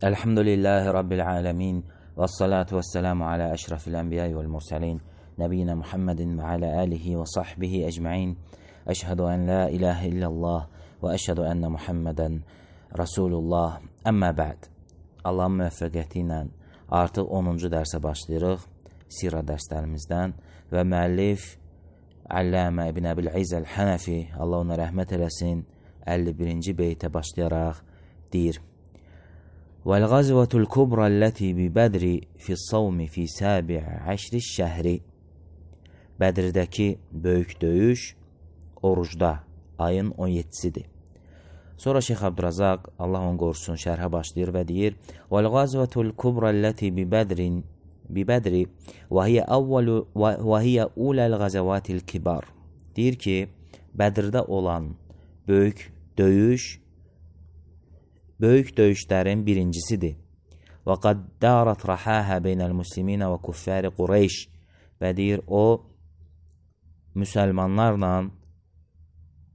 Elhamdülillahi Rabbil alemin. Vessalatu vesselamu ala eşrafil enbiyai vel mursalin. Nebiyyina Muhammedin ve ala alihi ve sahbihi ecma'in. Eşhedü en la ilahe illallah ve eşhedü enne Muhammeden Resulullah. Əmmə bə'd. Allahın müvəffəqiyyəti ilə artıq 10-cu dərsə başlayırıq. Sirə dərslərimizdən və müəllif Allamə İbn Əbil-İzz Əl-Hənəfi, Allah ona rəhmət eləsin, 51-ci beytə başlayaraq deyir: وَالْغَزْوَةُ الْكُبْرَى الَّتِي بِبَدْرِ فِي الصَّوْمِ فِي سَابِعِ عَشْرِ الشَّهْرِ. Bədirdəki böyük döyüş orucda, ayın 17-sidir. Sonra Şeyx Abdurazaq, Allah onu qorusun, şərhə başlayır və deyir: وَالْغَزْوَةُ الْكُبْرَى الَّتِي بِبَدْرِ وَهِيَ أُولَى الْغَزَوَاتِ الْكِبَارِ. Deyir ki, Bədirdə olan böyük döyüşlərin birincisidir. وَقَدْ دَارَتْ رَحَاهَا بَيْنَ الْمُسْلِمِينَ وَكُفَّارِ قُرَيْشِ. Və deyir, o, müsəlmanlarla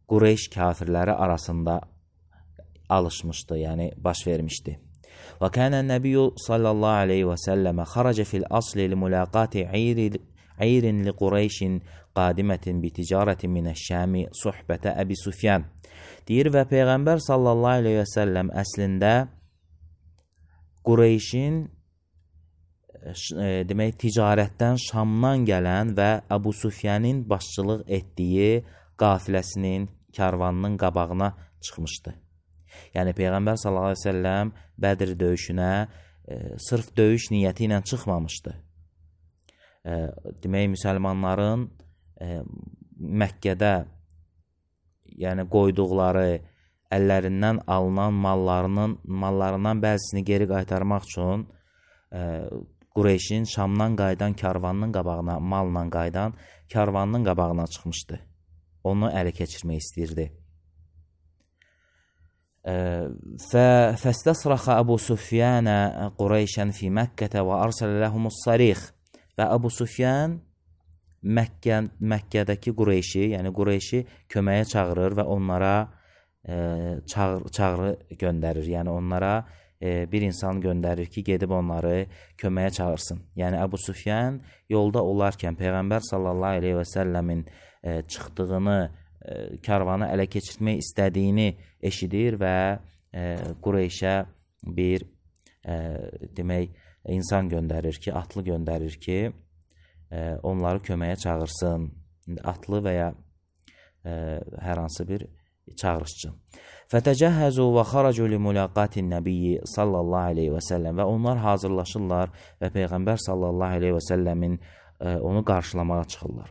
Qureyş kafirləri arasında alışmışdı, yəni baş vermişdi. وَكَانَ النَّبِيُّ sallallahu aleyhi və səlləmə خَرَجَ فِي الْأَصْلِ لِمُلَاقَاتِ عِيرٍ لِقُرَيْشٍ قَادِمَةٍ بِتِجَارَةٍ مِنَ الشَّامِ صُحْبَةَ Əbi Süfyan. Deyir və Peyğəmbər sallallahu aleyhi və səlləm əslində Qureyşin demək ticarətdən Şamdan gələn və Əbu Süfyanın başçılıq etdiyi qafiləsinin, karvanının qabağına çıxmışdı. Yəni Peyğəmbər sallallahu aleyhi və səlləm Bədir döyüşünə sırf döyüş niyyəti ilə çıxmamışdı. Demək, müsəlmanların Məkkədə yəni qoyduqları, əllərindən alınan mallarından bəzisini geri qaytarmaq üçün Qureyşin Şamdan qayıdan karvanının qabağına, malla qayıdan karvanının qabağına çıxmışdı. Onu ələ keçirmək istəyirdi. فَاسْتَصْرَخَ أَبُو سُفْيَانَ قُرَيْشًا فِي مَكَّةَ وَأَرْسَلَ لَهُمُ الصَّرِيخ. Və Əbu Süfyan Məkkədəki Qureyşi, yəni Qureyşi köməyə çağırır və onlara çağrı göndərir. Yəni onlara bir insan göndərir ki, gedib onları köməyə çağırsın. Yəni Əbu Süfyan yolda olarkən Peyğəmbər sallallahu aleyhi və səlləmin çıxdığını, karvanı ələ keçirmək istədiyini eşidir və Qureyşə bir demək insan göndərir ki, atlı göndərir ki, onları köməyə çağırsın. Atlı və ya hər hansı bir çağırışçı. فَتَجَهَّزُوا وَخَرَجُوا لِمُلَاقَاتِ النَّبِيِّ sallallahu aleyhi və səlləm. Və onlar hazırlaşırlar və Peyğəmbər sallallahu aleyhi və səlləmin onu qarşılamağa çıxırlar.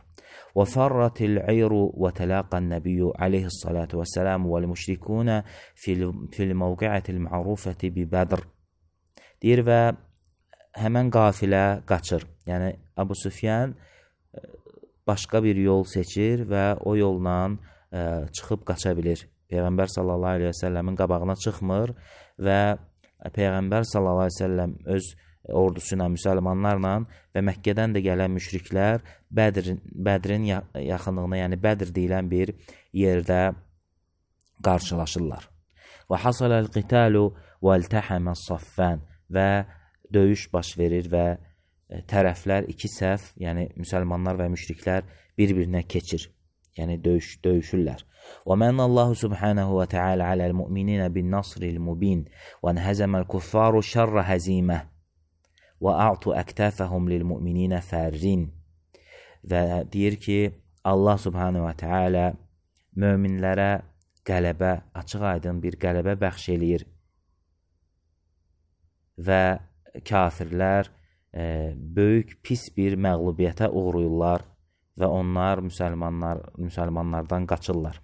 وَفَرَّتِ الْعِيرُ وَتَلَاقَ النَّبِيُّ عَلَيْهِ الصَّلَاةُ وَالسَّلَامُ وَالْمُشْرِكُونَ فِي الْمَوْقِعَةِ الْمَعْرُوفَةِ بِبَدْرِ. Deyir və həmən qafilə qaçır. Yəni Əbu Süfyan başqa bir yol seçir və o yolla çıxıb qaça bilir. Peyğəmbər sallallahu aleyhi və səlləmin qabağına çıxmır və Peyğəmbər sallallahu aleyhi və səlləm öz ordusu ilə, müsəlmanlarla və Məkkədən də gələn müşriklər Bədrin yaxınlığına, yəni Bədir deyilən bir yerdə qarşılaşırlar. Və hasaləl qitalu və iltəhəməs saffən. Və döyüş baş verir və tərəflər iki səf, yəni müsəlmanlar və müşriklər bir-birinə keçir. Yəni döyüşürlər. وَمَنَّ اللّٰهُ سُبْحَانَهُ وَتَعَالَى عَلَى الْمُؤْمِنِينَ بِالنَّصْرِ الْمُبِينِ وَانْهَزَمَ الْكُفَّارُ شَرَّ هَزِيمَةٍ وَأَعْطُوا أَكْتَافَهُمْ لِلْمُؤْمِنِينَ فَارِّينَ. Və deyir ki, Allah Subhanahu və Teala möminlərə qələbə, açıq aydın bir qələbə bəxş eləyir və kafirlər böyük pis bir məğlubiyyətə uğrayırlar və onlar müsəlmanlardan qaçırlar.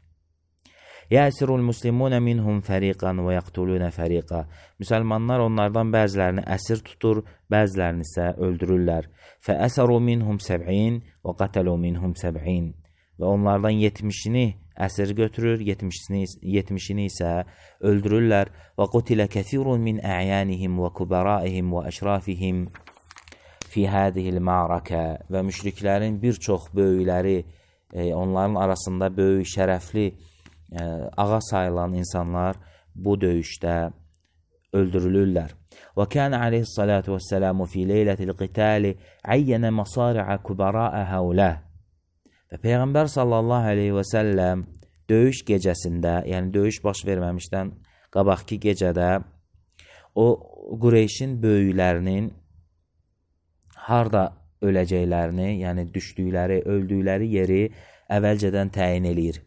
Yəsirul muslimun minhum fariqan və yaqtulun fariqa. Müsəlmanlar onlardan bəzilərini əsir tutur, bəzilərini isə öldürürlər. Fəəsəru minhum 70 və qatalu minhum 70. Və onlardan 70-ni əsir götürür, 70-ni isə öldürürlər. Və qutilə kəthirun min ə'yanihim və kubaraihim və əşrafihim fi hadihil ma'rakə. Və müşriklərin bir çox böyükləri, onların arasında böyük, şərəfli, ağa sayılan insanlar bu döyüşdə öldürülürlər. وكان عليه الصلاة والسلام في ليلة القتال عين مصارع كبراء هؤلاء. Və Peyğəmbər sallallahu aleyhi və səlləm döyüş gecəsində, yəni döyüş baş verməmişdən qabaqki gecədə o Qureyşin böyüklərinin harda öləcəklərini, yəni düşdükləri, öldükləri yeri əvvəlcədən təyin eləyir.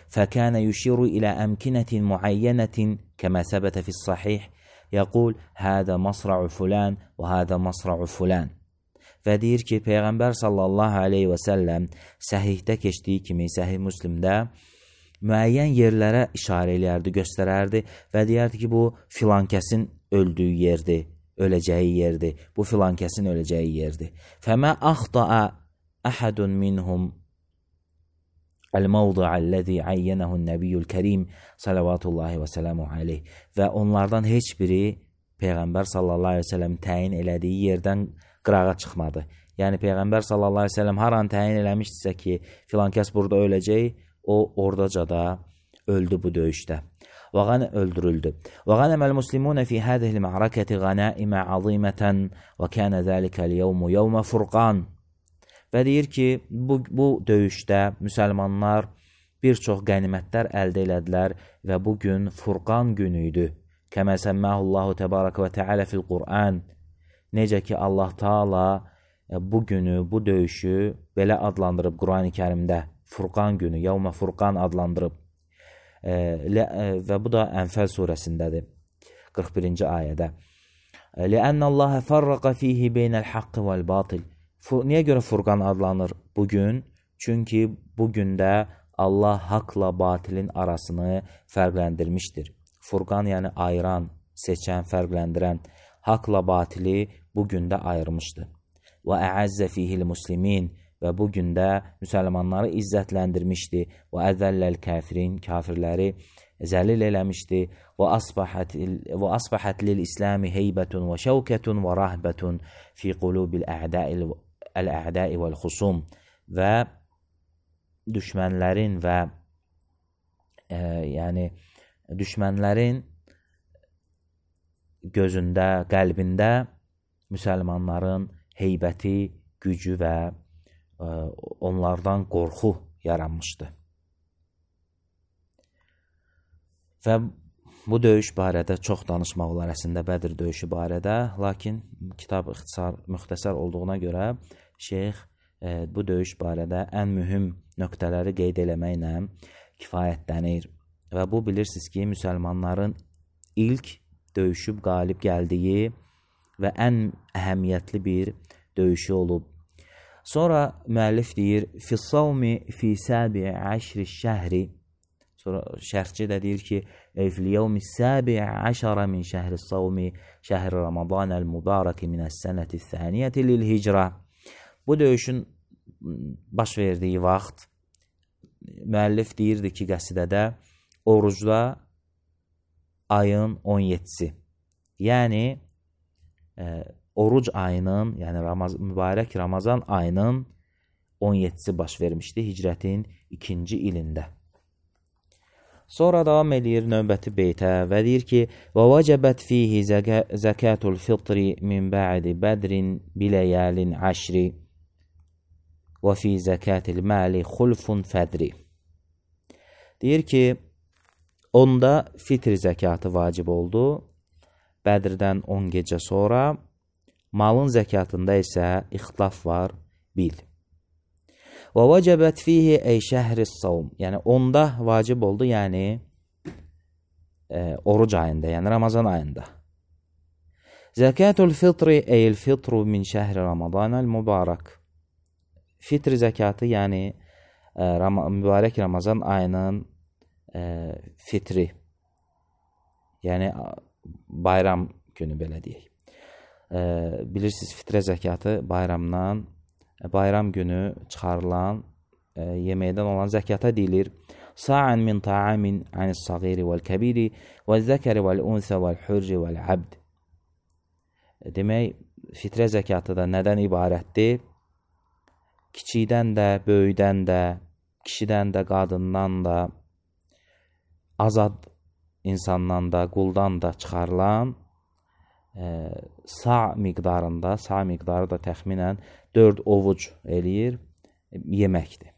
فكان يشير إلى أمكنة معينة كما ثبت في الصحيح يقول هذا مصرع فلان وهذا مصرع فلان. Və deyir ki, Peyğəmbər sallallahu aleyhi və səlləm səhihdə keçdiyi kimi, səhih Müslimdə müəyyən yerlərə işarə eləyərdi, göstərərdi və deyərdi ki, bu filan kəsin öldüyü yerdir, öləcəyi yerdir, bu filan kəsin öləcəyi yerdir. فَمَا أَخْطَأَ أَحَدٌ مِنْهُمْ el-mevdu'a allazi ayyenehu'n nebiyyul kerim sallallahu və selamu aleyh. Və onlardan heç biri Peyğəmbər sallallahu aleyhi və səlləm təyin elədiyi yerdən qırağa çıxmadı. Yəni Peyğəmbər sallallahu aleyhi və səlləm har an təyin eləmişdirsə ki, filan kəs burada öləcək, o ordaca da öldü bu döyüşdə. öldürüldü. وغنم المسلمون في هذه المعركة غنائم عظيمة وكان ذلك اليوم يوم فرقان. Və deyir ki, bu döyüşdə müsəlmanlar bir çox qənimətlər əldə elədilər və bu gün Furqan günü idi. Kəmə səmməhullahu təbarəkə və təalə fil Qur'an. Necə ki, Allah Taala bu günü, bu döyüşü belə adlandırıb Qur'an-ı Kərimdə. Furqan günü, Yevmə Furqan adlandırıb. Və bu da Ənfəl surəsindədir, 41-ci ayədə. Ləənnəlləhə fərrəqə fihi beynəl haqqı vəl-batil. Niyə görə Furqan adlanır bugün? Çünki bu gündə Allah haqla batilin arasını fərqləndirmişdir. Furqan yəni ayıran, seçən, fərqləndirən, haqla batili bu gündə ayırmışdır. Və əəzzə fihil muslimin. Və bu gündə müsəlmanları izzətləndirmişdi. Və əzəlləl kafirin, kafirləri zəlil eləmişdi. Və asbəhət lil-İslami heybətun və şəvkətun və rahbətun fi qulubil əl-ə'dai vəl-xusum. Və düşmənlərin və yəni düşmənlərin gözündə, qəlbində müsəlmanların heybəti, gücü və onlardan qorxu yaranmışdı. Və bu döyüş barədə çox danışmaq olar əslində Bədir döyüşü barədə, lakin kitab müxtəsər olduğuna görə şeyx bu döyüş barədə ən mühüm nöqtələri qeyd eləməklə kifayətlənir. Və bu bilirsiniz ki, müsəlmanların ilk döyüşüb qalib gəldiyi və ən əhəmiyyətli bir döyüşü olub. Sonra müəllif deyir, Fissavmi fi səbi əşri şəhri. Sonra şərhçi də deyir ki, Fil-yevmi səbi əşara min şəhri savmi şəhri Ramadanəl mübarəki minəs-sənəti thəniyyəti lil-hicra. Bu döyüşün baş verdiyi vaxt müəllif deyirdi ki, qəsidədə orucda ayın 17-si. Yəni oruc ayının, yəni mübarək Ramazan ayının 17-si baş vermişdi hicrətin 2-ci ilində. Sonra davam edir növbəti beytə və deyir ki, və vəcəbət fihi zəkatul fitri min bə'di bədrin biləyəlin əşri və fi zəkatil məli xulfun fədri. Deyir ki, onda fitr zəkatı vacib oldu, Bədirdən 10 gecə sonra, malın zəkatında isə ixtilaf var, bil. Və vəcəbət fihi ey şəhri savm, yəni onda vacib oldu, yəni oruc ayında, yəni Ramazan ayında. Zəkatul fitri eyl fitru min şəhri Ramadanəl mübarək. Fitr zəkatı, yəni mübarək Ramazan ayının fitri, yəni bayram günü belə deyək. Bilirsiniz, fitrə zəkatı bayram günü çıxarılan yeməkdən olan zəkata deyilir. Sa'an min ta'amin anis-sagiri vəl-kəbiri vəl-zəkəri vəl-unsə vəl-hurri vəl-abd. Demək, fitrə zəkatı da nədən ibarətdir? Kiçikdən də, böyükdən də, kişidən də, qadından da, azad insandan da, quldan da çıxarılan sa miqdarı da təxminən 4 ovuc eləyir yeməkdir.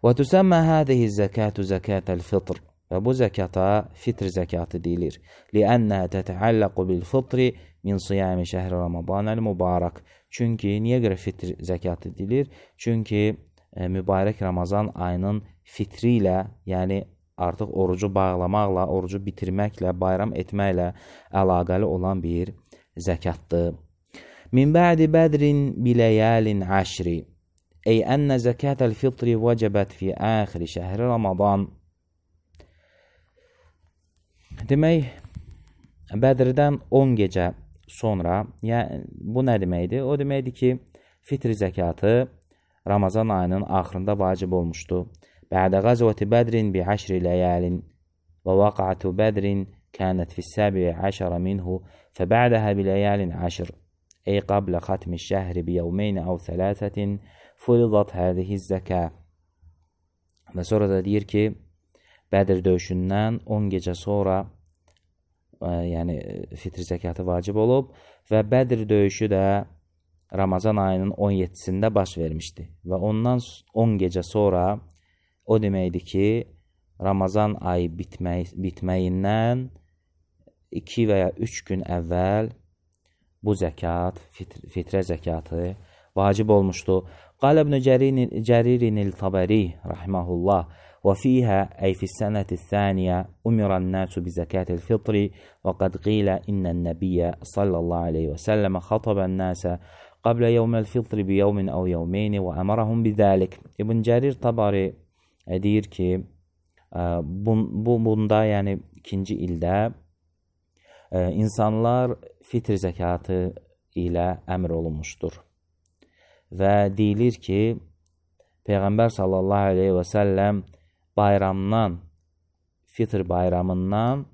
Və tüsəmmə hədəhi zəkatü zəkətəl fitr. Və bu zəkata fitr zəkatı deyilir. Liənnə tətəalləqu bil fitri min siyami şəhri Ramadanəl mübarək. Çünki, niyə görə fitr zəkatı deyilir? Çünki mübarək Ramazan ayının fitri ilə, yəni artıq orucu bağlamaqla, orucu bitirməklə, bayram etməklə əlaqəli olan bir zəkatdır. Min bə'di bədrin biləyəlin əşri. Ey ənə zəkətəl fitri vəcəbət fi əxiri şəhri Ramadan. Demək, Bədirdən 10 gecə sonra, yəni bu nə deməkdir? O deməkdir ki, fitr zəkatı Ramazan ayının axırında vacib olmuşdu. Bə'də qazvəti Bədrin bi 10 ləyalin və vaqa'atu Bədrin kənət fi 17 minhu fəbə'dəhə bi ləyalin 10. Ey qablə xatmi şəhri bi yevmeyni əv 3 furidat hədihi zəkə. Və sonra da deyir ki, Bədir döyüşündən 10 gecə sonra yəni fitr zəkatı vacib olub və Bədir döyüşü də Ramazan ayının 17-sində baş vermişdi. Və ondan 10 gecə sonra o deməkdir ki, Ramazan ayı bitməyindən 2 və ya 3 gün əvvəl bu zəkat, fitrə zəkatı vacib olmuşdu. Qalə İbn Cəririn el-Tabari rahiməhullah وفيها أي في السنة الثانية أمر الناس بزكاة الفطر وقد قيل إن النبي صلى الله عليه وسلم خطب الناس قبل يوم الفطر بيوم أو يومين وأمرهم بذلك. İbn Cərir Tabari deyir ki, bunda yəni ikinci ildə insanlar fitr zəkatı ilə əmr olunmuşdur. Və deyilir ki, Peyğəmbər sallallahu aleyhi və səlləm bayramdan, fitr bayramından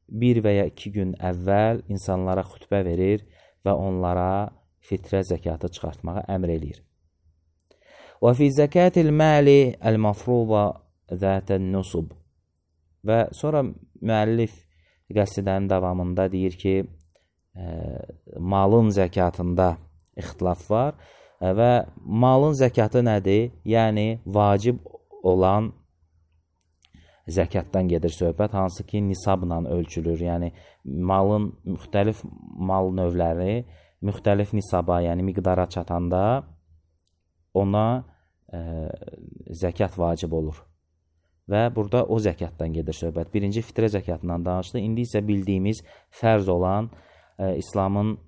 1 və ya 2 gün əvvəl insanlara xütbə verir və onlara fitrə zəkatı çıxartmağa əmr eləyir. Və fi zəkatil məli əl-mafruza zətən nusub. Və sonra müəllif qəsidənin davamında deyir ki, malın zəkatında ixtilaf var və malın zəkatı nədir? Yəni, vacib olan zəkatdan gedir söhbət, hansı ki, nisabla ölçülür. Yəni, malın müxtəlif mal növləri müxtəlif nisaba, yəni miqdara çatanda ona zəkat vacib olur. Və burada o zəkatdan gedir söhbət. Birinci fitrə zəkatından danışdı. İndi isə bildiyimiz fərz olan, İslamın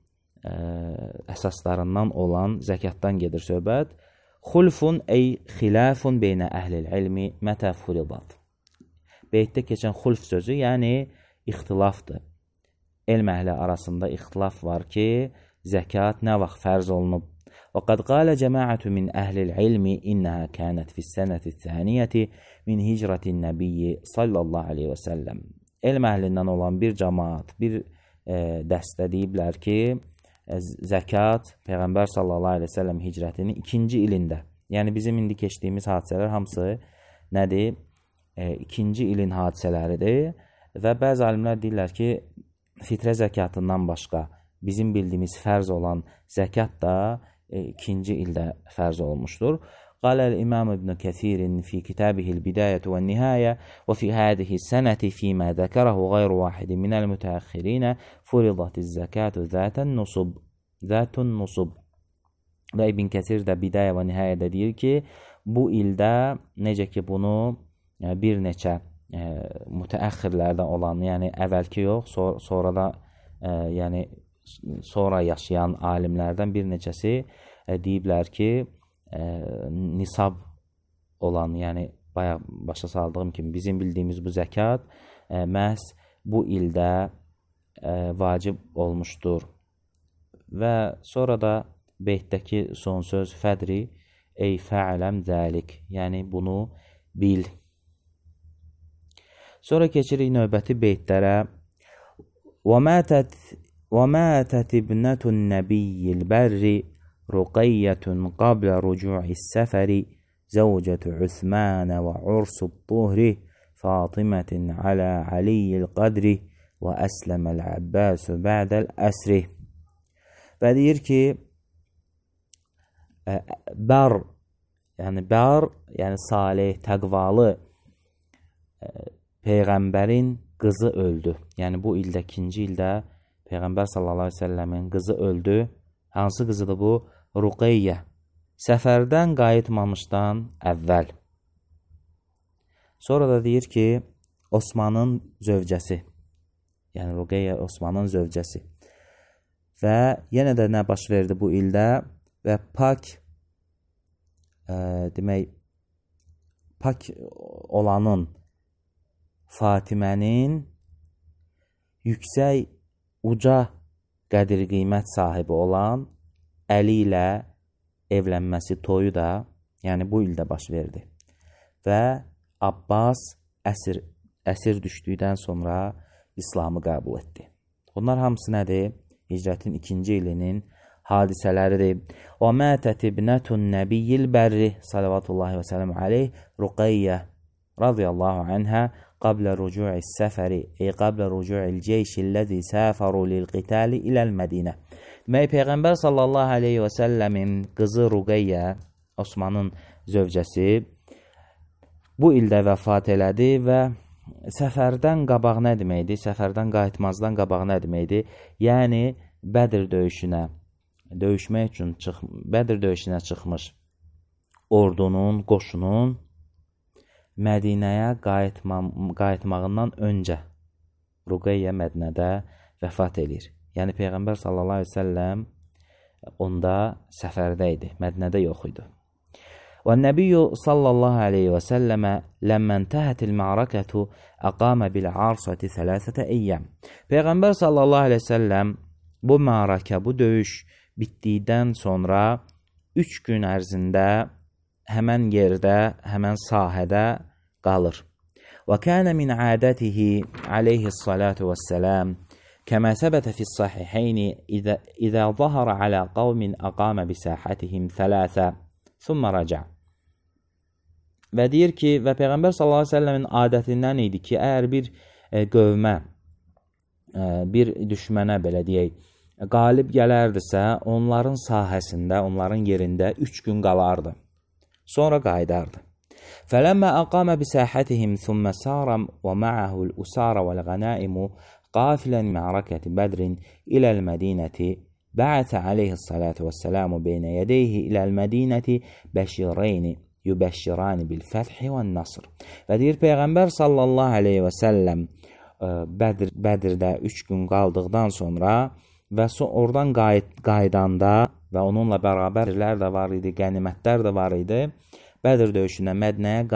əsaslarından olan zəkatdan gedir söhbət. Xulfun ey xilafun beynə əhlil ilmi mətə furidat. Beytdə keçən xulf sözü, yəni ixtilafdır. Elm əhli arasında ixtilaf var ki, zəkat nə vaxt fərz olunub? Və qad qalə cəmaətü min əhlil ilmi innəhə kənət fissənəti thəniyyəti min hicrətin nəbiyyi sallallahu aleyhi və səlləm. Elm əhlindən olan bir cəmaat, bir dəstə deyiblər ki, zəkat Peyğəmbər sallallahu aleyhi və səlləm hicrətinin 2-ci ilində. Yəni bizim indi keçdiyimiz hadisələr hamısı nədir? 2-ci ilin hadisələridir və bəzi alimlər deyirlər ki, fitrə zəkatından başqa bizim bildiyimiz fərz olan zəkat da 2-ci ildə fərz olunmuşdur. Qaləl İmam İbn Kəsirin fi kitabihil bidayətü və nihəyə və fi hədihi sənəti fīmə zəkərəhu qayru vahidi minəl mütəəxxirinə furidatı zəkatü zətən nusub. Və İbn Kəsir də bidayə və nihəyədə deyir ki, bu ildə necə ki bunu bir neçə mütəəxxirlərdən olan, yəni əvvəlki yox, sonra da yəni sonra yaşayan alimlərdən bir neçəsi deyiblər ki, nisab olan, yəni bayaq başa saldığım kimi bizim bildiyimiz bu zəkat məhz bu ildə vacib olmuşdur. Və sonra da beytdəki son söz fədri ey fəələm zəlik, yəni bunu bil. Sonra keçirik növbəti beytlərə. وَمَاتَتْ ابْنَةُ النَّبِيِّ الْبَرِّ رُقَيَّةٌ قَبْلَ رُجُوعِ السَّفَرِ زَوْجَةُ عُثْمَانَ وَعُرْسُ الطُّهْرِ فَاطِمَةٍ عَلَى عَلِيِّ الْقَدْرِ və əsləməl Əbbasu ba'dəl əsri. Və deyir ki, bar, yəni salih, təqvalı Peyğəmbərin qızı öldü. Yəni bu ildə, ikinci ildə Peyğəmbər sallallahu əleyhi və səlləmin qızı öldü. Hansı qızıdır bu? Ruqeyyə. Səfərdən qayıtmamışdan əvvəl. Sonra da deyir ki, Osmanın zövcəsi. Yəni Ruqeyyə Osmanın zövcəsi. Və yenə də nə baş verdi bu ildə? Və pak olanın Fatimənin yüksək, uca qədir qiymət sahibi olan Əli ilə evlənməsi, toyu da, yəni bu ildə baş verdi. Və Abbas əsir düşdükdən sonra İslamı qəbul etdi. Bunlar hamısı nədir? Hicrətin 2-ci ilinin hadisələridir. Və mətət ibnətun nəbiyyil bərri salavatullahi və sələm aleyh Ruqeyyə radiyallahu anhə qablə rücu'is səfəri qablə rücu'il ceyşilləzi səfəru lil-qitali iləl-Mədinə. Demək, Peyğəmbər sallallahu aleyhi və səlləmin qızı Ruqeyyə, Osmanın zövcəsi, bu ildə vəfat elədi və səfərdən qabaq nə deməkdir? Səfərdən qayıtmazdan qabaq nə deməkdir? Yəni, Bədir döyüşünə, döyüşmək üçün Bədir döyüşünə çıxmış ordunun, qoşunun Mədinəyə qayıtmağından öncə Ruqeyyə Mədinədə vəfat edir. Yəni, Peyğəmbər sallallahu aleyhi ve səlləm onda səfərdə idi, Mədinədə yox idi. Və Nəbiyyu sallallahu aleyhi və səlləmə ləmmən təhətil ma'rakətu əqamə bil-arsəti thələthətə əyyəm. Peyğəmbər sallallahu aleyhi və səlləm bu ma'rakə, bu döyüş bitdikdən sonra 3 gün ərzində həmən yerdə, həmən sahədə qalır. Və kənə min ədətihi aleyhissalatu vəssələm kəmə səbətə fis-sahihəyni izə zahara alə qavmin əqamə bisahətihim thələthə thumma raca. Və deyir ki, və Peyğəmbər sallallahu əleyhi və səlləmin adətindən idi ki, əgər bir qövmə, bir düşmənə belə deyək, qalib gələrdisə, onların sahəsində, onların yerində 3 gün qalardı. Sonra qayıdardı. Fələmmə əqamə bisahətihim thumma saram və ma'ahul usara vəl-ğənaimu qafilən mə'rakəti Bədrin iləl-Mədinəti bə'ətə aleyhissalatu vəssəlamu beynə yədeyhi iləl-Mədinəti bəşireyni yübəşşirani bil-fəthi və-nasr. Və deyir, Peyğəmbər sallallahu aleyhi və səlləm Bədirdə 3 gün qaldıqdan sonra və oradan qaydanda və onunla bərabərlər də var idi, qənimətlər də var idi, Bədir döyüşünə Mədinəyə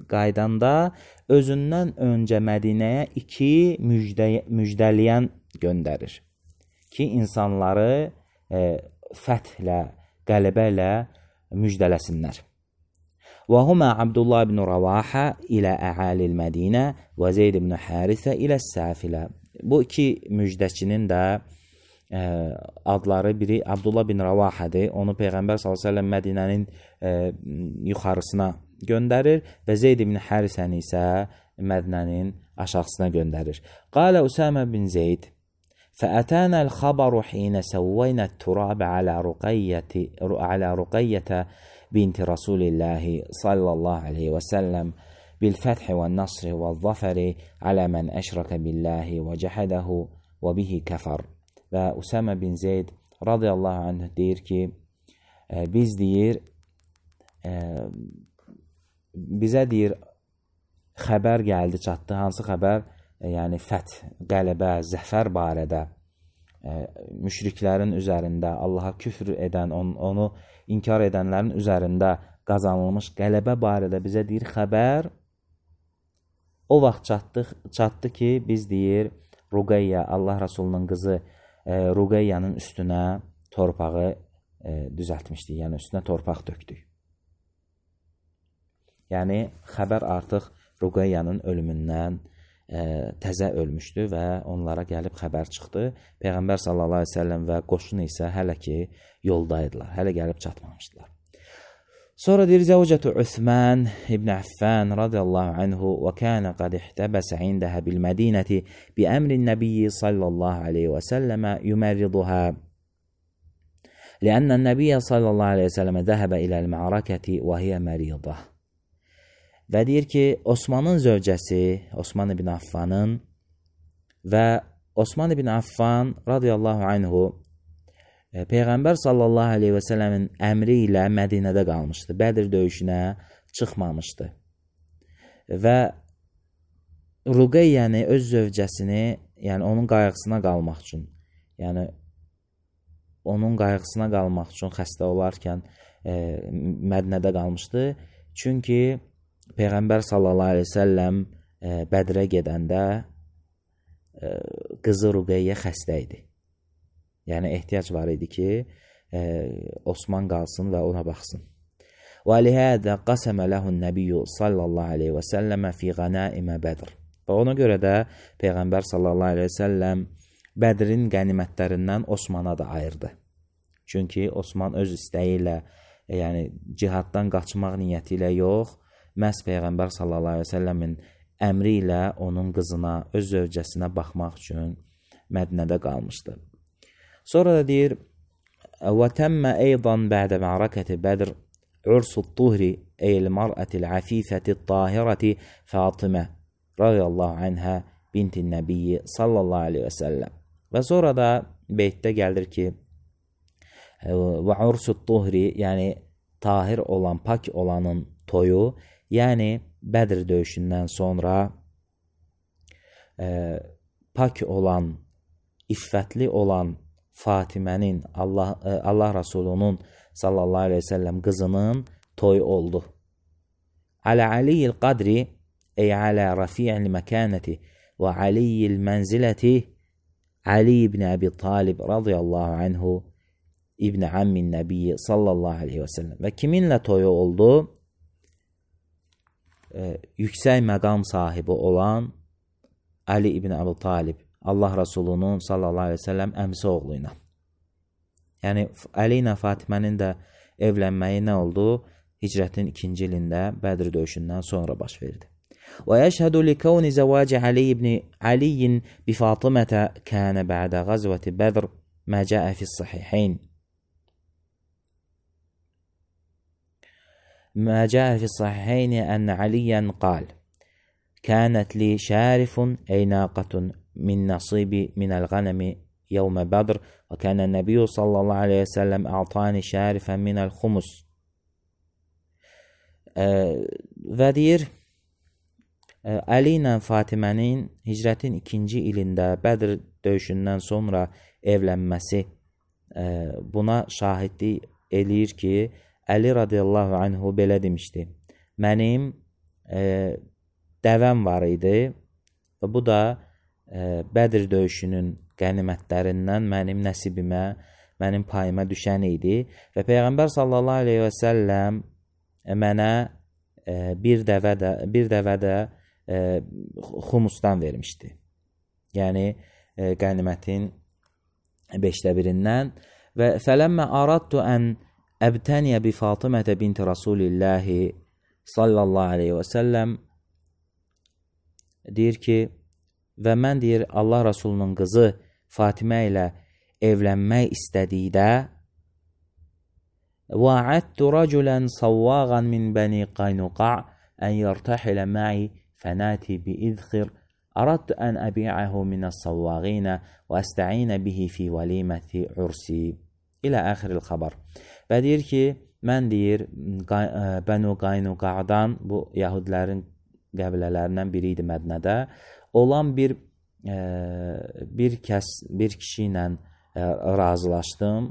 qaydanda özündən öncə Mədinəyə 2 müjdəliyən göndərir ki, insanları fəthlə, qələbə ilə müjdələsinlər. Və humə Abdullah ibn Ravaha ilə əhalil Mədinə və Zeyd ibn Harisə ilə Səfilə. Bu 2 müjdəçinin də adları biri Abdullah bin Ravahadır. Onu Peyğəmbər s.ə.v Mədinənin yuxarısına göndərir və Zeyd ibn Harisəni isə Mədinənin aşağısına göndərir. Qalə Usəmə bin Zeyd fəətənə l-xabaru xinə səvvəynə t-turabə alə Ruqeyyətə binti Rasulillahi sallallahu aleyhi və səlləm bil-fəthi və-nasri və-zafəri alə mən əşrəkə billahi və cəhədəhu və bihi kəfər. Və Usəmə bin Zeyd radiyallahu anh deyir ki, biz deyir, bizə deyir, xəbər gəldi, çatdı. Hansı xəbər? Yəni, fəth, qələbə, zəfər barədə, müşriklərin üzərində, Allaha küfr edən, onu inkar edənlərin üzərində qazanılmış qələbə barədə bizə deyir, xəbər o vaxt çatdı ki, biz deyir, Ruqeyyə, Allah Rasulunun qızı, Ruqeyyənin üstünə torpağı düzəltmişdik, yəni üstünə torpaq döktük. Yəni, xəbər artıq Ruqeyyənin ölümündən təzə ölmüşdü və onlara gəlib xəbər çıxdı. Peyğəmbər sallallahu aleyhi ve sellem və qoşun isə hələ ki yoldaydılar, hələ gəlib çatmamışdılar. Sonra deyir Zəvcətü Üsman ibn Affan radiyallahu anhu və kana qad ihtabəsə indəhə bil Mədinəti bi əmrin Nəbiyyi sallallahu aleyhi və səlləmə yumerriduhə لأن النبي صلى الله عليه وسلم ذهب إلى المعركة وهي مريضة. Və deyir ki, Osmanın zövcəsi, Osman ibn Affanın və Osman ibn Affan radiyallahu anhu Peyğəmbər sallallahu aleyhi və səlləmin əmri ilə Mədinədə qalmışdı. Bədir döyüşünə çıxmamışdı. Və Ruqeyyəni, öz zövcəsini, yəni onun qayğısına qalmaq üçün, yəni onun qayğısına qalmaq üçün xəstə olarkən Mədinədə qalmışdı. Çünki Peyğəmbər sallallahu aleyhi və səlləm Bədirə gedəndə qızı Ruqeyyə xəstə idi. Yəni ehtiyac var idi ki, Osman qalsın və ona baxsın. Və lihədə qasəmə ləhun nəbiyyü sallallahu aleyhi və səlləmə fi qənaimə Bədir. Və ona görə də Peyğəmbər sallallahu aleyhi və səlləm Bədrin qənimətlərindən Osmana da ayırdı. Çünki Osman öz istəyi ilə, yəni cihaddan qaçmaq niyyəti ilə yox, məhz Peyğəmbər sallallahu aleyhi və səlləmin əmri ilə onun qızına, öz zövcəsinə baxmaq üçün Mədinədə qalmışdı. Sonra da deyir, وَتَمَّ أَيْضًا بَعْدَ مَعْرَكَةِ بَدْرِ عُرْسُ الطُّهْرِ أي المرأة العفيفة الطاهرة فاطمة رضي الله عنها بنت النبي sallallahu aleyhi və səlləm. Və sonra da beytdə gəlir ki, və ursut tuhri, yəni tahir olan, pak olanın toyu, yəni Bədir döyüşündən sonra pak olan, iffətli olan Fatimənin, Allah Rasulunun sallallahu aleyhi və səlləm qızının toyu oldu. Alə aliyyil qadri, ey alə rafi'il məkanəti və aliyyil mənziləti Ali ibn Əbi Talib radiyallahu anhu İbn Ammin Nəbiyyi sallallahu aleyhi və səlləm. Və kiminlə toyu oldu? Yüksək məqam sahibi olan Ali ibn Əbi Talib, Allah Rasulunun sallallahu aleyhi və səlləm əmsi oğlu ilə. Yəni, Ali ilə Fatimənin də evlənməyi nə oldu? Hicrətin 2-ci ilində Bədir döyüşündən sonra baş verdi. ويشهد لكون زواج علي بفاطمة كان بعد غزوة بدر ما جاء في الصحيحين أن عليا قال كانت لي شارف أي ناقة من نصيبي من الغنم يوم بدر وكان النبي صلى الله عليه وسلم أعطاني شارفا من الخمس. Və deyir, Ali ilə Fatimənin hicrətin 2-ci ilində Bədir döyüşündən sonra evlənməsi buna şahidlik eləyir ki, Əli radiyallahu anhu belə demişdi. Mənim dəvəm var idi və bu da Bədir döyüşünün qənimətlərindən mənim nəsibimə, mənim payıma düşən idi və Peyğəmbər sallallahu aleyhi və səlləm mənə bir dəvə də xumusdan vermişdi. Yəni qənimətin 1/5-dən. Və fələmmə aradtu ən əbtəniyə bi Fatimətə binti Rasulillahi sallallahu aleyhi və səlləm deyir ki, və mən deyir Allah Rasulunun qızı Fatimə ilə evlənmək istədikdə وعدت رجلا صواغا من بني قينقاع أن يرتحل معي فناتي بإذخر أردت أن أبيعه من الصواغين وأستعين به في وليمة عرسي إلى آخر الخبر. Və deyir ki, mən deyir Bənu Qaynuqa'dan, bu Yahudilərin qəbilələrindən biri idi Mədnədə, olan bir kişi ilə razılaşdım.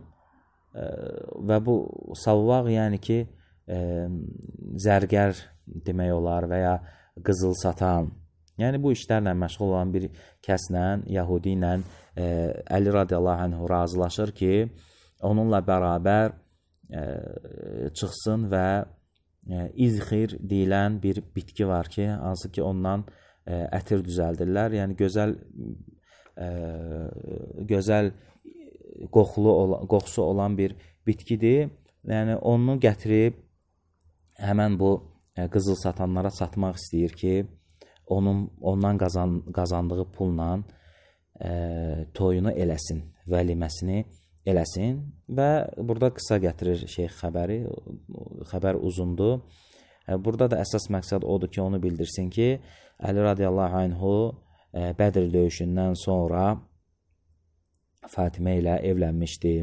Və bu savvaq, yəni ki, zərgər demək olar və ya qızıl satan, yəni bu işlərlə məşğul olan bir kəslə, Yahudi ilə Əli radiyallahu anhu razılaşır ki, onunla bərabər çıxsın və izxir deyilən bir bitki var ki, hansı ki ondan ətir düzəldirlər, yəni gözəl qoxusu olan bir bitkidir. Yəni onu gətirib həmən bu qızıl satanlara satmaq istəyir ki, ondan qazandığı pulla toyunu eləsin, vəliməsini eləsin və burada qısa gətirir şeyx xəbəri, xəbər uzundur. Burada da əsas məqsəd odur ki, onu bildirsin ki, Əli radiyallahu anhu Bədir döyüşündən sonra Fatimə ilə evlənmişdi.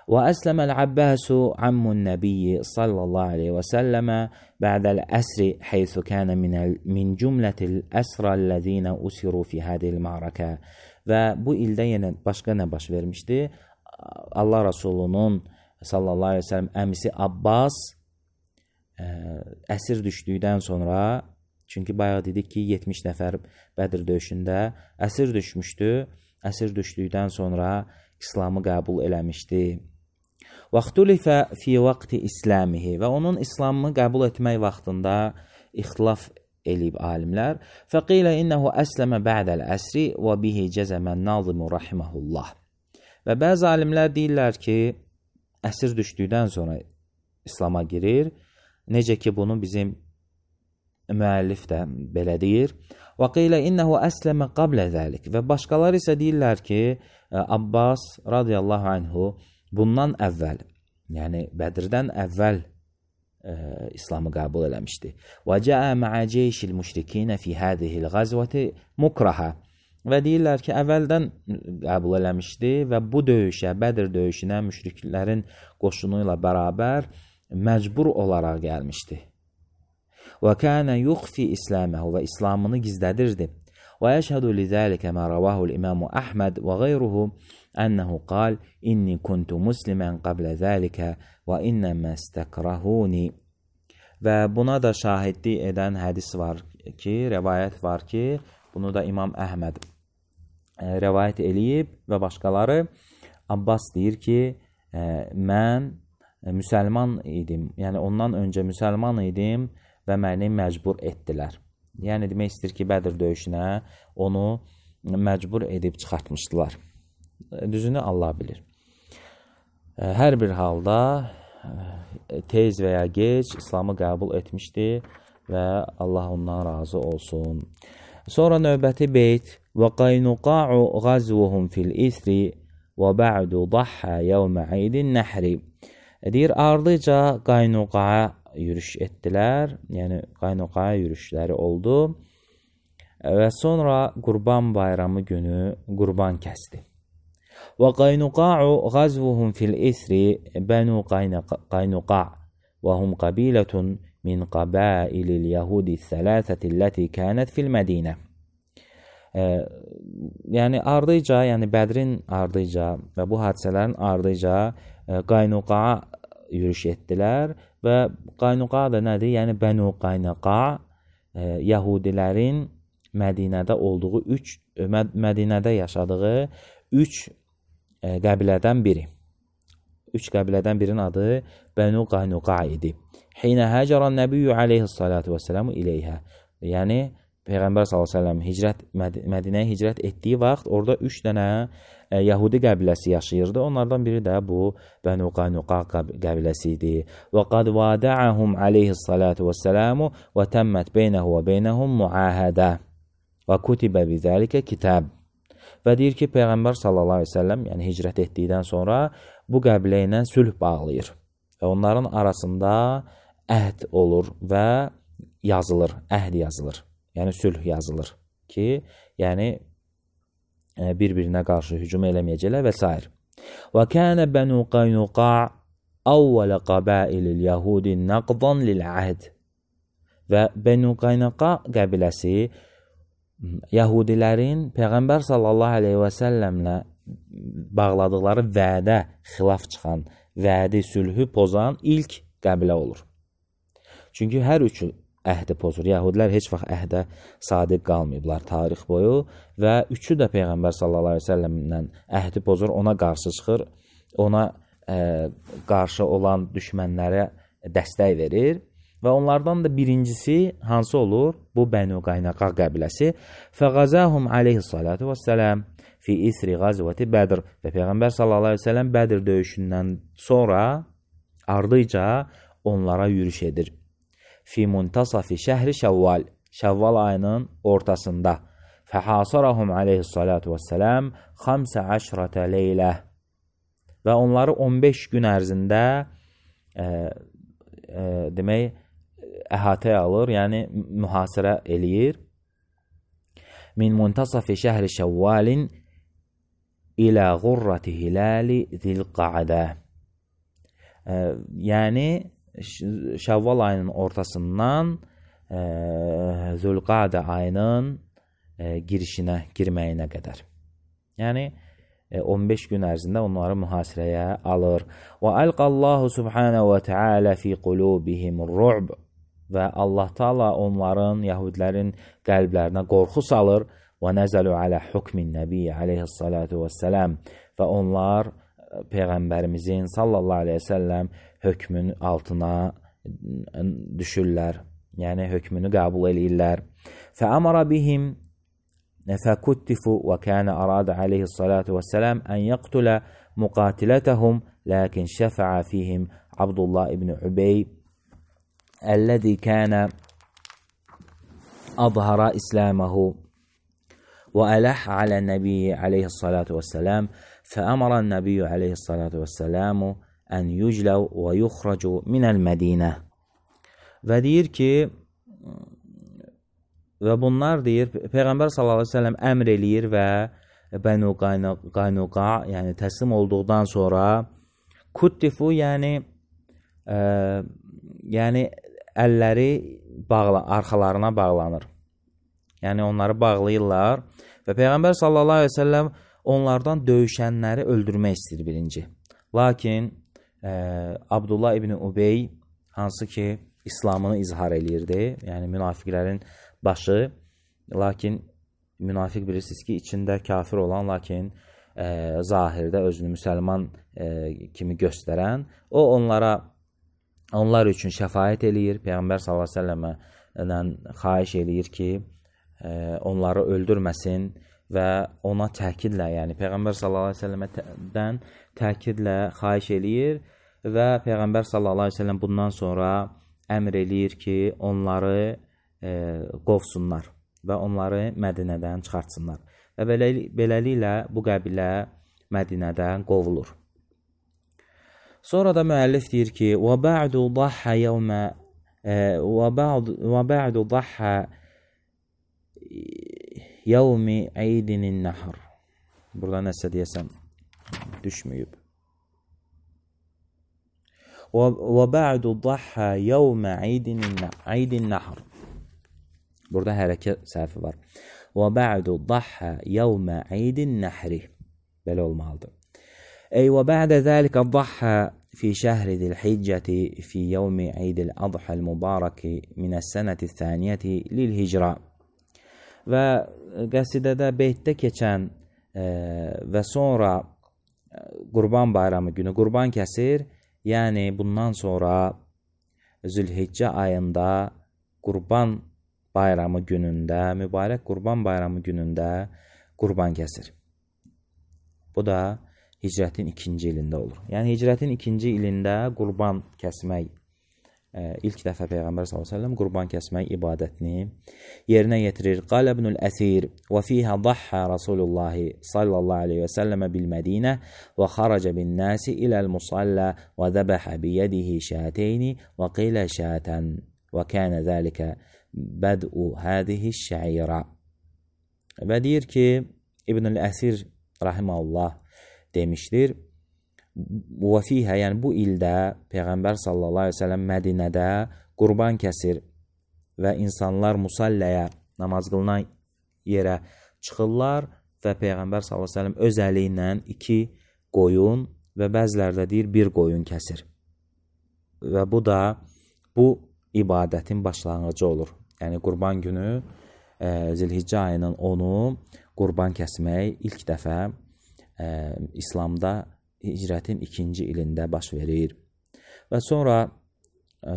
Və əsləməl Abbasu ammun nəbiyyi sallallahu aleyhi və səlləmə bə'dəl əsri heythu kənə min cümlətil əsrəl-ləzinə usiru fi hədil ma'rakə. Və bu ildə yenə başqa nə baş vermişdi? Allah Rasulunun sallallahu aleyhi və səlləm əmisi Abbas əsir düşdükdən sonra, çünki bayaq dedik ki, 70 nəfər Bədir döyüşündə əsir düşmüşdü. Əsir düşdükdən sonra İslamı qəbul eləmişdi. Vaxtulifə fi vaxti İslamihi və onun İslamını qəbul etmək vaxtında ixtilaf eləyib alimlər. Fəqilə innəhu əsləmə bə'dəl əsri və bihi cəzəmən nazimu rahiməhullah. Və bəzi alimlər deyirlər ki, əsir düşdükdən sonra İslama girir. Necə ki, bunu bizim müəllif də belə deyir. Və qilə innəhu əsləmə qablə zəlik. Və başqalar isə deyirlər ki, Abbas radiyallahu anhu bundan əvvəl, yəni Bədirdən əvvəl İslamı qəbul eləmişdi. Və cəə mə'ə ceyşil müşrikinə fi hədihil qazvəti mukrahə. Və deyirlər ki, əvvəldən qəbul eləmişdi və bu döyüşə, Bədir döyüşünə müşriklərin qoşunu ilə bərabər məcbur olaraq gəlmişdi. Və kənə yuxfi İsləməhu və İslamını gizlədirdi. Və yəşhədu lizəlikə mə rəvahul İmamu Əhməd və qeyruhu ənəhu qal inni kuntu muslimən qablə zəlikə və innəmə istəkrahuni. Və buna da şahidlik edən hədis var ki, rəvayət var ki, bunu da İmam Əhməd rəvayət eləyib və başqaları. Abbas deyir ki, mən müsəlman idim, yəni ondan öncə müsəlman idim və məni məcbur etdilər. Yəni demək istəyir ki, Bədir döyüşünə onu məcbur edib çıxartmışdılar. Düzünü Allah bilir. Hər bir halda tez və ya gec İslamı qəbul etmişdi və Allah ondan razı olsun. Sonra növbəti beyt və qaynuqa'u ğazvuhum fil isri və ba'du dahha yevmə aydin nəhri. Deyir, ardıca Qaynuqaya yürüş etdilər, yəni Qaynuqaya yürüşləri oldu və sonra Qurban bayramı günü qurban kəsdi. Və Qaynuqa'u ğazvuhum fil isri bənu Qaynuqa və hum qabilətun min qabailil yahudi thələthəti ləti kənət fil Mədinə. Yəni ardıca, yəni Bədrin ardıca və bu hadisələrin ardıca Qaynuqa'a yürüş etdilər və Qaynuqa da nədir? Yəni Bənu Qaynuqa Yahudilərin Mədinədə olduğu Mədinədə yaşadığı 3 qəbilədən biri. 3 qəbilədən birinin adı Bənu Qaynuqa idi. Hinə həcəran nəbiyyü aleyhissalatu vəssələmu iləyhə. Yəni Peyğəmbər s.ə.v Mədinəyə hicrət etdiyi vaxt orada 3 dənə Yahudi qəbiləsi yaşayırdı. Onlardan biri də bu Bənu Qaynuqa qəbiləsi idi. Və qad vada'ahum aleyhissalatu vəssələmu və təmmət beynəhu və beynəhum muahədə və kutibə bizəlikə kitab. Və deyir ki, Peyğəmbər s.ə.v yəni hicrət etdikdən sonra bu qəbilə ilə sülh bağlayır. Və onların arasında əhd olur və yazılır, əhd yazılır. Yəni sülh yazılır ki, yəni bir-birinə qarşı hücum eləməyəcəklər və s. Və kənə Bənu Qaynuqa əvvələ qabailil yahudi nəqdan lil-əhd. Və Bənu Qaynuqa qəbiləsi Yahudilərin Peyğəmbər sallallahu aleyhi və səlləmlə bağladıqları vədə xilaf çıxan, vədi, sülhü pozan ilk qəbilə olur. Çünki hər üçü əhdi pozur. Yahudilər heç vaxt əhdə sadiq qalmayıblar tarix boyu və üçü də Peyğəmbər sallallahu aleyhi ve səlləmlə əhdi pozur, ona qarşı çıxır, ona qarşı olan düşmənlərə dəstək verir və onlardan da birincisi hansı olur? Bu Bənu Qaynuqa qəbiləsi. Fəğazəhum aleyhissalatu vəssələm fi isri qazvəti Bədir və Peyğəmbər sallallahu aleyhi ve səlləm Bədir döyüşündən sonra ardıca onlara yürüş edir. fi muntasafi şəhri Şəvval, Şəvval ayının ortasında. Fəhasarahum aleyhissalatu vesselam 15 leylə və onları 15 gün ərzində demək əhatəyə alır, yəni mühasirə eləyir. Min muntasafi şəhri Şəvvalin ilə ğurrati hilali zilqa'də. Yəni Şəvval ayının ortasından Zülqa'də ayının girməyinə qədər. Yəni 15 gün ərzində onları mühasirəyə alır. Və əlqallahu subhanahu və teala fi qulubihimur ru'b. Və Allah Taala onların, yəhudilərin qəlblərinə qorxu salır. Və nəzəlu alə hukmin nəbiyyə aleyhissalatu vesselam. Və onlar Peyğəmbərimizin sallallahu aleyhi və səlləm hökmün altına düşürlər. Yəni hökmünü qəbul edirlər. Fəəmara bihim fəkuttifu və kənə aradə aleyhissalatu vesselam ən yəqtülə muqatilətəhum, lakin şəfəə fihim Abdullah ibn Ubey əlləzi kənə adhara İsləməhu və ələh alə nəbiyyə aleyhissalatu vesselam. Fəəmara nəbiyyə aleyhissalatu vesselamu ən yücləv və yuxracu minəl Mədinə. Və deyir ki, və bunlar deyir, Peyğəmbər sallallahu əleyhi və səlləm əmr eləyir və Bənu Qaynuqa, yəni təslim olduqdan sonra kuttifu, yəni əlləri arxalarına bağlanır. Yəni onları bağlayırlar və Peyğəmbər sallallahu əleyhi və səlləm onlardan döyüşənləri öldürmək istəyir birinci. Lakin Abdullah ibn Ubey, hansı ki İslamını izhar eləyirdi, yəni münafiqlərin başı, lakin münafiq bilirsiniz ki, içində kafir olan, lakin zahirdə özünü müsəlman kimi göstərən, o onlar üçün şəfaət eləyir. Peyğəmbər sallallahu əleyhi və səlləmdən xahiş eləyir ki, onları öldürməsin və ona təkidlə, yəni Peyğəmbər sallallahu əleyhi və səlləmdən təkidlə xahiş eləyir və Peyğəmbər sallallahu əleyhi və səlləm bundan sonra əmr eləyir ki, onları qovsunlar və onları Mədinədən çıxartsınlar. Və beləliklə bu qəbilə Mədinədən qovulur. Sonra da müəllif deyir ki, وَبَعْدُ ضَحَّ يَوْمِ عِيدٍ النَّحْرِ. Burada nəsə deyəsəm düşməyib. وَبَعْدُ ضَحَّ يَوْمَ عِيدٍ النَّحْرِ. Burada hərəkət səhvi var. وَبَعْدُ ضَحَّ يَوْمَ عِيدٍ النَّحْرِ. Belə olmalıdır. وَبَعْدَ ذَلِكَ ضَحَّ في شهر ذي الحجة في يوم عيد الأضحى المبارك من السنة الثانية للهجرة. Və qəsidədə beytdə keçən və sonra Qurban bayramı günü qurban kəsir. Yəni bundan sonra Zülhiccə ayında Qurban bayramı günündə, mübarək Qurban bayramı günündə qurban kəsir. Bu da hicrətin 2-ci ilində olur. Yəni hicrətin 2-ci ilində qurban kəsmək, ilk dəfə Peyğəmbər s.ə.v qurban kəsmək ibadətini yerinə yetirir. Qalə ibnül əsir və fiyhə ضحى Rasulullah sallallahu aleyhi və səlləmə bil-Mədinə və xaracə bin-nəsi iləl-musalla və dəbəhə biyədihi şəteyni və qilə şətən və kənə zəlikə bəd'u hədihi şəirə. Və deyir ki, İbnül Əsir rahiməhullah demişdir. Və fiyhə, yəni bu ildə Peyğəmbər sallallahu aleyhi və səlləm Mədinədə qurban kəsir və insanlar musalləyə, namaz qılınan yerə çıxırlar və Peyğəmbər sallallahu aleyhi və səlləm öz əli ilə 2 qoyun və bəzilərdə deyir 1 qoyun kəsir. Və bu da bu ibadətin başlanğıcı olur. Yəni qurban günü Zilhiccə ayının 10-u qurban kəsmək ilk dəfə İslamda hicrətin 2-ci ilində baş verir. Və sonra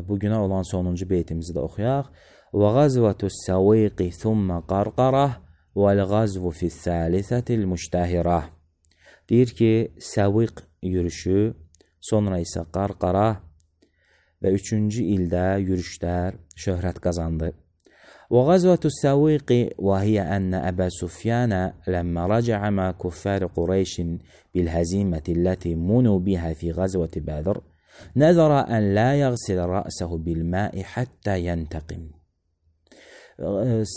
bugünə olan sonuncu beytimizi də oxuyaq. Və qazvətus səviqi thumma qarqarah vəl-qazvu fis-salisətil müştəhirah. Deyir ki, səviq yürüşü, sonra isə qarqarah və 3-cü ildə yürüşlər şöhrət qazandı. وغزوة السويق وهي أن أبا سفيان لما رجع مع كفار قريش بالهزيمة التي منوا بها في غزوة بدر نذر أن لا يغسل رأسه بالماء حتى ينتقم.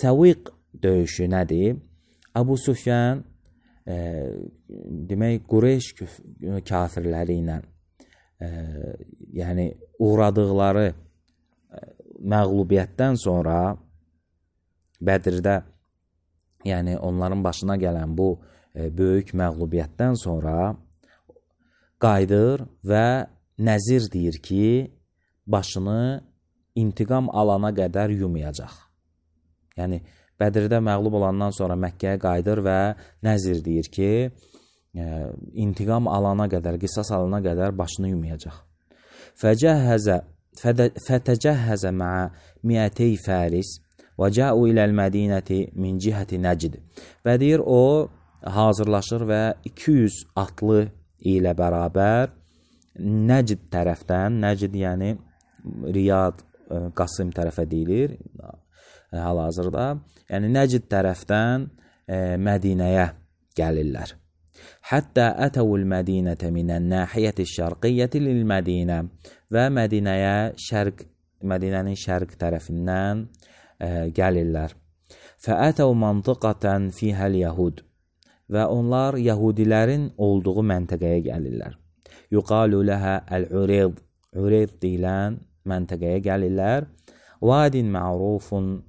Səviq döyüşü nədir? Abu Sufyan demək Qureyş kafirləri ilə yəni uğradıqları məğlubiyyətdən sonra Bədirdə, yəni onların başına gələn bu böyük məğlubiyyətdən sonra qayıdır və nəzir deyir ki, başını intiqam alana qədər yumayacaq. Yəni Bədirdə məğlub olandan sonra Məkkəyə qayıdır və nəzir deyir ki, intiqam alana qədər, qisas alana qədər başını yumayacaq. Fətəcəhəzə mə'a 200 fəris və cəu iləl mədinəti min cihəti Nəcd. Və deyir, o hazırlaşır və 200 atlı ilə bərabər Nəcd tərəfdən, Nəcd yəni Riyad, Qasım tərəfə deyilir hal-hazırda, yəni Nəcd tərəfdən Mədinəyə gəlirlər. Həttə ətəvül mədinətə minən nəhiyyəti şərqiyyəti lil-Mədinə və Mədinənin şərq tərəfindən gəlirlər. Fəətəv mantıqatan fihəl yəhud və onlar Yahudilərin olduğu məntəqəyə gəlirlər. Yuqalu ləhə əl-Ureyd, Ureyd deyilən məntəqəyə gəlirlər. Vadin ma'rufun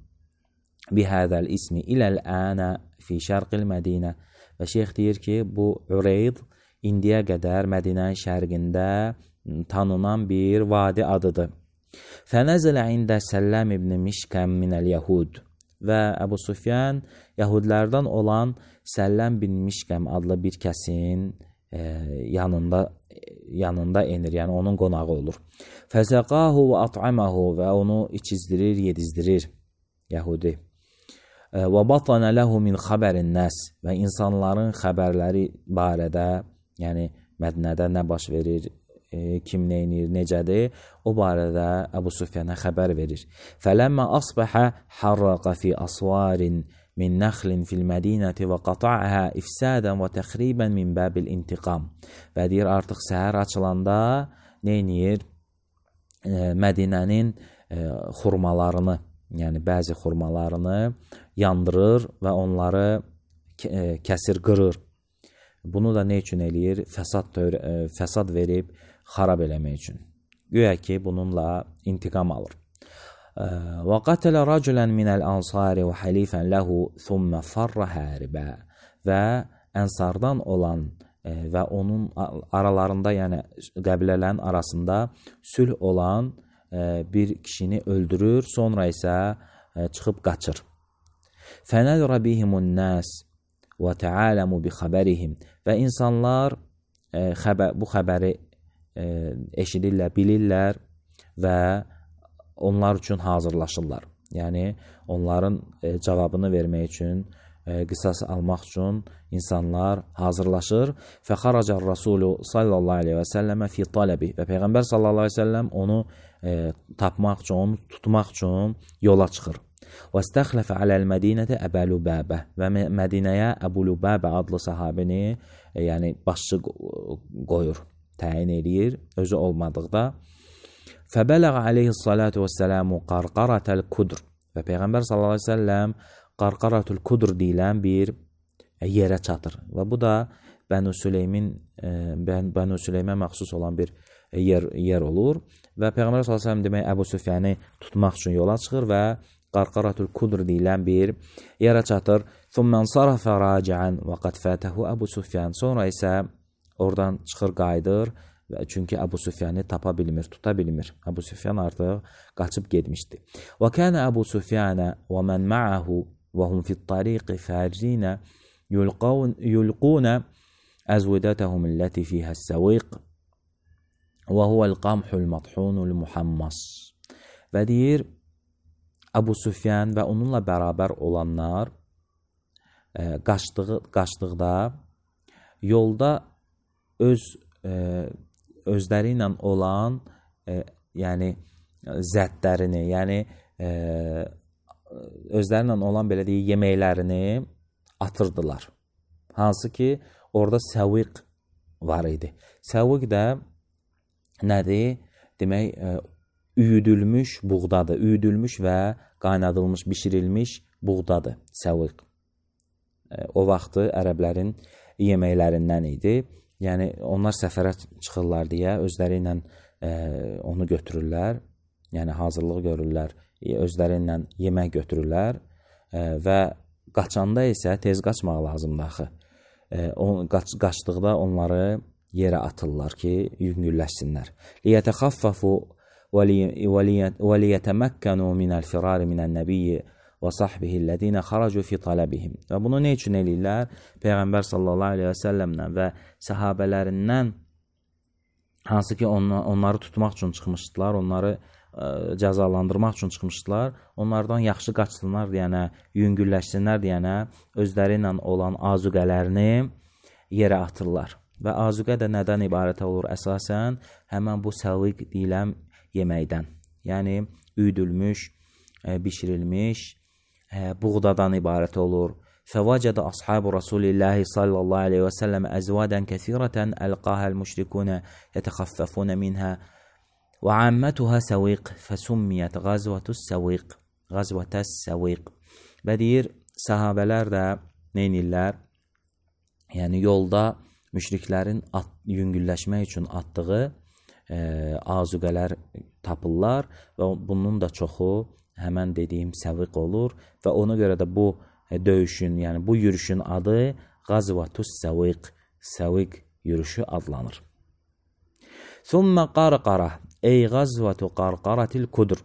bihədəl ismi iləl-ənə fi şərqil Mədinə. Və şeyx deyir ki, bu Ureyd indiyə qədər Mədinənin şərqində tanınan bir vadi adıdır. Fənəzələ ində Səlləm ibn Mişkəm minəl Yəhud və Əbu Sufyan Yəhudlərdən olan Səlləm bin Mişkəm adlı bir kəsin yanında enir, yəni onun qonağı olur. Fəzəqahu və at'amahu və onu içizdirir, yedizdirir Yəhudi. Və batana ləhu min xəbərin nəs və insanların xəbərləri barədə, yəni Mədinədə nə baş verir, kim neynir, necədir, o barədə Əbu Sufyana xəbər verir. Fələmmə asbəhə harraqa fi asvarin min nəxlin fil mədinəti və qata'əhə ifsadən və təxribən min bəbil intiqam. Və deyir, artıq səhər açılanda neynir? Mədinənin xurmalarını, yəni bəzi xurmalarını yandırır və onları kəsir, qırır. Bunu da nə üçün eləyir? Fəsad verib, xarab eləmək üçün. Güya ki, bununla intiqam alır. Və qatələ rəculən minəl ansari və xəlifən ləhu thumma farra həribə. Və ənsardan olan və onun aralarında, yəni qəbilələrin arasında sülh olan bir kişini öldürür, sonra isə çıxıb qaçır. Fənədrə bihimun nəs və təaləmu bi xəbərihim. Və insanlar bu xəbəri eşidirlər, bilirlər və onlar üçün hazırlaşırlar. Yəni, onların cavabını vermək üçün, qisas almaq üçün insanlar hazırlaşır. Fəxaracar Rasulü sallallahu aleyhi və səlləmə fi tələbi. Və Peyğəmbər sallallahu aleyhi və səlləm onu tapmaq üçün, onu tutmaq üçün yola çıxır. Və istəxləfə aləl-Mədinətə Əbəl-Übəbə. Və Mədinəyə Əbul-Übəbə adlı sahabini, yəni başçı qoyur, təyin edir, özü olmadıqda. Fəbələğ aleyhissalatu vəssələmu qarqaratəl kudr. Və Peyğəmbər sallallahu aleyhi və səlləm qarqaratul kudr deyilən bir yerə çatır. Və bu da Bənu Süleymə məxsus olan bir yer olur. Və Peyğəmbər sallallahu aleyhi və səlləm demək Əbu Süfyanı tutmaq üçün yola çıxır və qarqaratul kudr deyilən bir yerə çatır. Thumman sarafə raci'an və qad fətəhu Əbu Süfyan. Sonra isə oradan çıxır, qayıdır. Çünki Əbu Süfyanı tapa bilmir, tuta bilmir. Əbu Süfyan artıq qaçıb getmişdi. Və kənə Əbu Süfyanə və mən ma'ahu və hum fit-tariqi fərinə yulqunə əzvidətəhum illəti fiyhəs-səviq və huvəl-qamhul madhunul muhammas. Və deyir, Əbu Süfyan və onunla bərabər olanlar qaçdıqda yolda özləri ilə olan yəni zətlərini, yəni özlərinlə olan belə deyək yeməklərini atırdılar. Hansı ki, orada səviq var idi. Səviq də nədir? Demək, üyüdülmüş buğdadır. Üyüdülmüş və qaynadılmış, bişirilmiş buğdadır səviq. O vaxtı ərəblərin yeməklərindən idi. Yəni, onlar səfərə çıxırlar deyə özləri ilə onu götürürlər. Yəni, hazırlıq görürlər, özləri ilə yemək götürürlər və qaçanda isə tez qaçmaq lazımdır axı. Qaçdıqda onları yerə atırlar ki, yüngülləşsinlər. Liyətəxaffafu və liyətəməkkənu minəl-firari minən-nəbiyyi və sahbihillədinə xaracu fi talabihim. Və bunu nə üçün eləyirlər? Peyğəmbər sallallahu aleyhi və səlləmlə və səhabələrindən hansı ki onları tutmaq üçün çıxmışdılar, onları cəzalandırmaq üçün çıxmışdılar, onlardan yaxşı qaçsınlar deyənə, yüngülləşsinlər deyənə özləri ilə olan azuqələrini yerə atırlar. Və azuqə də nədən ibarət olur? Əsasən həmən bu səviq deyilən yeməkdən, yəni üyüdülmüş, bişirilmiş buğdadan ibarət olur. فوجد أصحاب رسول الله صلى الله عليه وسلم أزوادا كثيرة ألقاها المشركون يتخففون منها وعامتها سويق فسميت غزوة السويق. Və deyir, sahabələr də neynirlər? Yəni yolda müşriklərin yüngülləşmək üçün atdığı azuqələr tapırlar və bunun da çoxu həmən dediyim səviq olur və ona görə də bu döyüşün, yəni bu yürüşün adı Qazvatus Səviq, Səviq yürüşü adlanır. Thumma qarqara, ey Qazvatu qarqaratil kudr.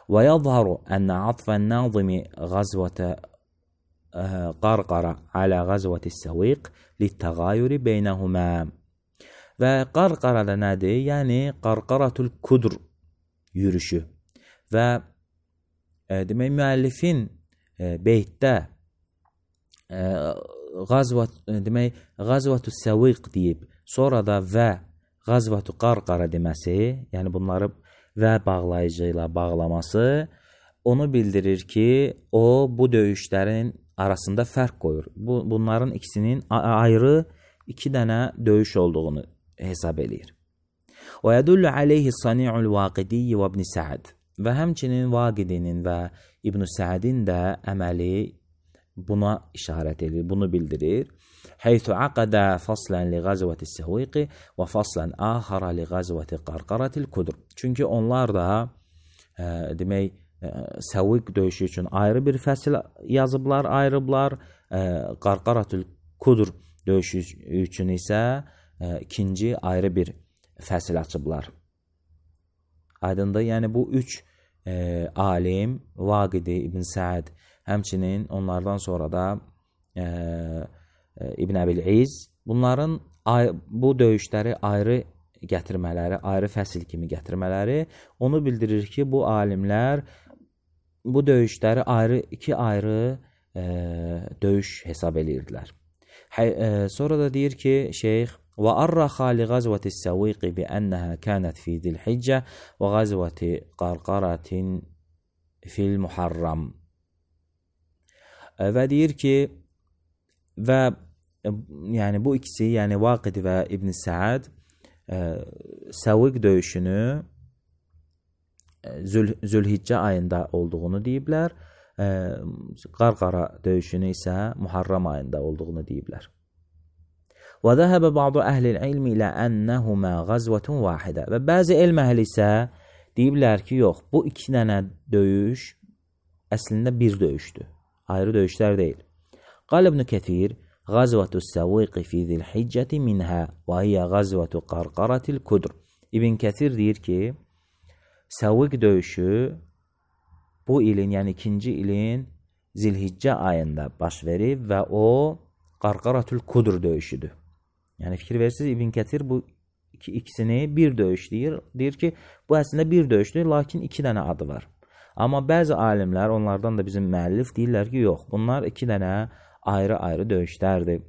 Və yadharu ənə atfən nazimi Qazvata qarqara alə Qazvatis Səviq littəğayuri beynəhumə. Və qarqara da nədir? Yəni qarqaratul kudr yürüşü. Və demək müəllifin beytdə Qazvatu Səviq deyib, sonra da və Qazvatu qarqara deməsi, yəni bunları və bağlayıcı ilə bağlaması onu bildirir ki, o bu döyüşlərin arasında fərq qoyur. Bunların ikisinin ayrı iki dənə döyüş olduğunu hesab eləyir. Və yədullu aleyhi sani'ul Vaqidiyyi və ibn Sa'd. Və həmçinin Vaqidinin və İbn Sa'din də əməli buna işarət edir, bunu bildirir. Heythu aqada faslan li Qazvati Səviq və faslan axara li Qazvati qarqaratil kudr. Çünki onlar da demək Səviq döyüşü üçün ayrı bir fəsil yazıblar, ayırıblar. Qarqaratul kudr döyüşü üçün isə ikinci ayrı bir fəsil açıblar. Aydındır, yəni bu üç alim, Vaqidi, İbn Sa'd, həmçinin onlardan sonra da İbn Əbil-İz, bunların bu döyüşləri ayrı gətirmələri, ayrı fəsil kimi gətirmələri onu bildirir ki, bu alimlər bu döyüşləri iki ayrı döyüş hesab edirdilər. Sonra da deyir ki, şeyx وأرخ لغزوة السويق بأنها كانت في ذي الحجة وغزوة قرقرة في المحرم. Və deyir ki, və yəni bu ikisi, yəni Vaqid və İbn Sa'd Səviq döyüşünü Zülhiccə ayında olduğunu deyiblər, Qarqara döyüşünü isə Muharram ayında olduğunu deyiblər. وذهب بعض أهل العلم إلى أنهما غزوة واحدة. Və bəzi elm əhli isə deyiblər ki, yox, bu iki dənə döyüş əslində bir döyüşdür. Ayrı döyüşlər deyil. Qal İbn Kəthir, Qazvatu Səviq fi Zilhiccəti minhə və hiyə Qazvatu qarqaratil kudr. İbn Kəthir deyir ki, Səviq döyüşü bu ilin, yəni ikinci ilin Zilhiccə ayında baş verib və o Qarqaratul kudr döyüşüdür. Yəni fikir verirsiniz, İbn Kəthir bu ikisini bir döyüş deyir. Deyir ki, bu əslində bir döyüşdür, lakin iki dənə adı var. Amma bəzi alimlər, onlardan da bizim müəllif deyirlər ki, yox, bunlar iki dənə ayrı-ayrı döyüşlərdir.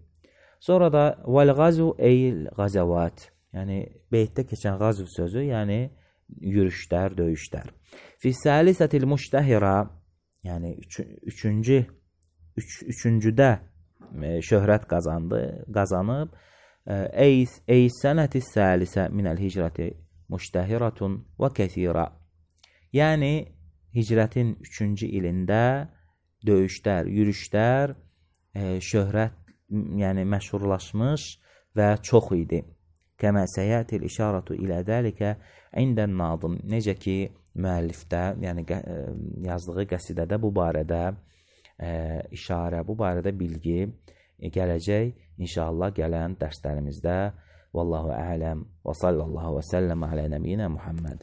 Sonra da vəl-qazu eyl qazavat, yəni beytdə keçən qazv sözü, yəni yürüşlər, döyüşlər. Fi salisətil müştəhira, yəni üçüncüdə şöhrət qazanıb. Ey sənəti salisə minəl hicrəti müştəhiratun və kəthira. Yəni hicrətin 3-cü ilində döyüşlər, yürüşlər şöhrət, yəni məşhurlaşmış və çox idi. Kəmə səyətil işaratu ilə dəlikə indən nadim. Necə ki, müəllifdə, yəni yazdığı qəsidədə bu barədə işarə, bu barədə bilgi gələcək inşallah gələn dərslərimizdə. Vallahu ələm və sallallahu və səlləm alə nəbiyyinə Muhammed.